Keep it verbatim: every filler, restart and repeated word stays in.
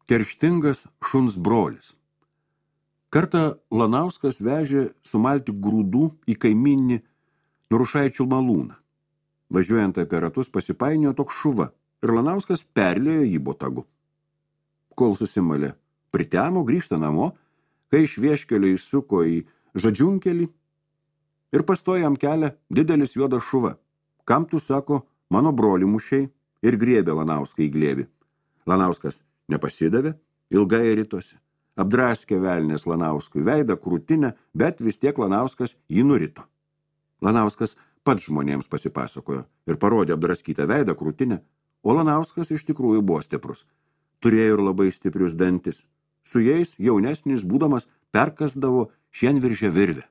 Kerštingas šuns brolis. Kartą Lanauskas vežė sumalti grūdų į kaiminį Nurušaičių malūną. Važiuojant apie ratus pasipainiojo toks šuva ir Lanauskas perlėjo jį botagu. Kol susimalė, pritemo, grįžta namo, kai iš vieškelio įsuko į žadžiunkelį ir pastojo jam kelią didelis juodas šuva. Kam tu, sako, mano brolį mušiai, ir griebė Lanauską į glėbį. Lanauskas nepasidavė, ilgai ritosi. Apdraskė velnės Lanauskui veidą krūtinę, bet vis tiek Lanauskas jį nurito. Lanauskas pats žmonėms pasipasakojo ir parodė apdraskytą veidą krūtinę, o Lanauskas iš tikrųjų buvo stiprus. Turėjo ir labai stiprius dantis. Su jais jaunesnis būdamas perkasdavo šienviržę virvę.